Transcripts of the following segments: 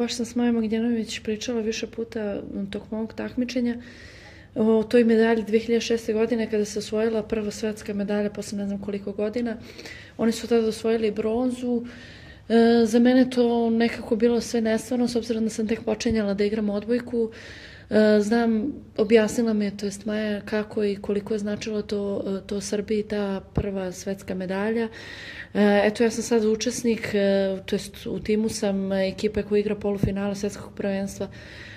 baš sam s Majom Magdjenović pričala više puta tokom ovog takmičenja o toj medalji 2006. godine kada se osvojila prva svetska medalja posle ne znam koliko godina. Oni su tada osvojili bronzu. Za mene to nekako bilo sve nestvarno, s obzirom da sam tek počinjala da igram odbojku. Znam, objasnila mi je, to jest Maja, kako i koliko je značilo to Srbiji, ta prva svetska medalja. Eto, ja sam sad učesnik, to jest u timu sam ekipe koja igra polufinale svetskog prvenstva.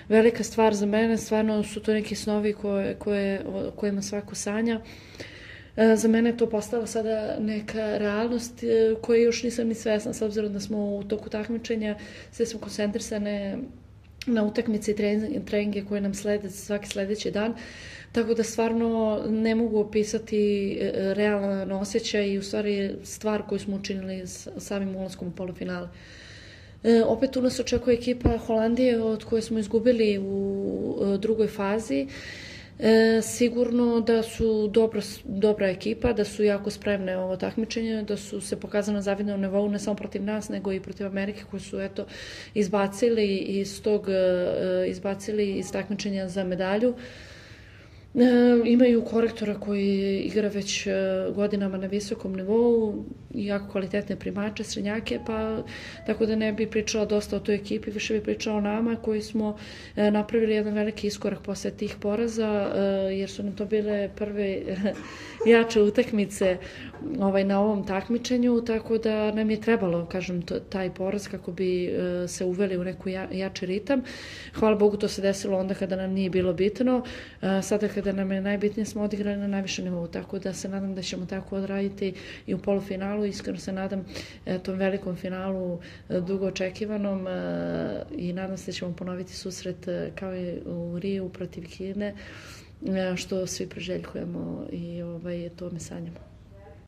Velika stvar za mene, stvarno su to neki snovi o kojima svako sanja. Za mene je to postala sada neka realnost koje još nisam ni svesna, s obzirom da smo u toku takmičenja, sve smo koncentrisane na utakmice i treninge koje nam slede svaki sledeći dan, tako da stvarno ne mogu opisati realan osjećaj i u stvari stvar koju smo učinili samim ulaskom u polufinale. Opet tu nas očekuje ekipa Holandije od koje smo izgubili u drugoj fazi. Sigurno da su dobra ekipa, da su jako spremne ovo takmičenje, da su se pokazali na zavidnom nivou ne samo protiv nas, nego i protiv Amerike koji su izbacili iz takmičenja za medalju. Imaju korektora koji igra već godinama na visokom nivou, jako kvalitetne primače, srednjake, pa tako da ne bi pričala dosta o toj ekipi, više bi pričala o nama koji smo napravili jedan veliki iskorak posle tih poraza, jer su nam to bile prve jače utakmice na ovom takmičenju, tako da nam je trebalo, kažem, taj poraz kako bi se uveli u neku jači ritam. Hvala Bogu, to se desilo onda kada nam nije bilo bitno. Sada kada nam je najbitnije smo odigrali na najvišem nivou, tako da se nadam da ćemo tako odraditi i u polufinalu. Iskreno se nadam tom velikom finalu dugo očekivanom i nadam se da ćemo ponoviti susret kao i u Riju protiv Kine, što svi preželjkujemo i to me sanjamo.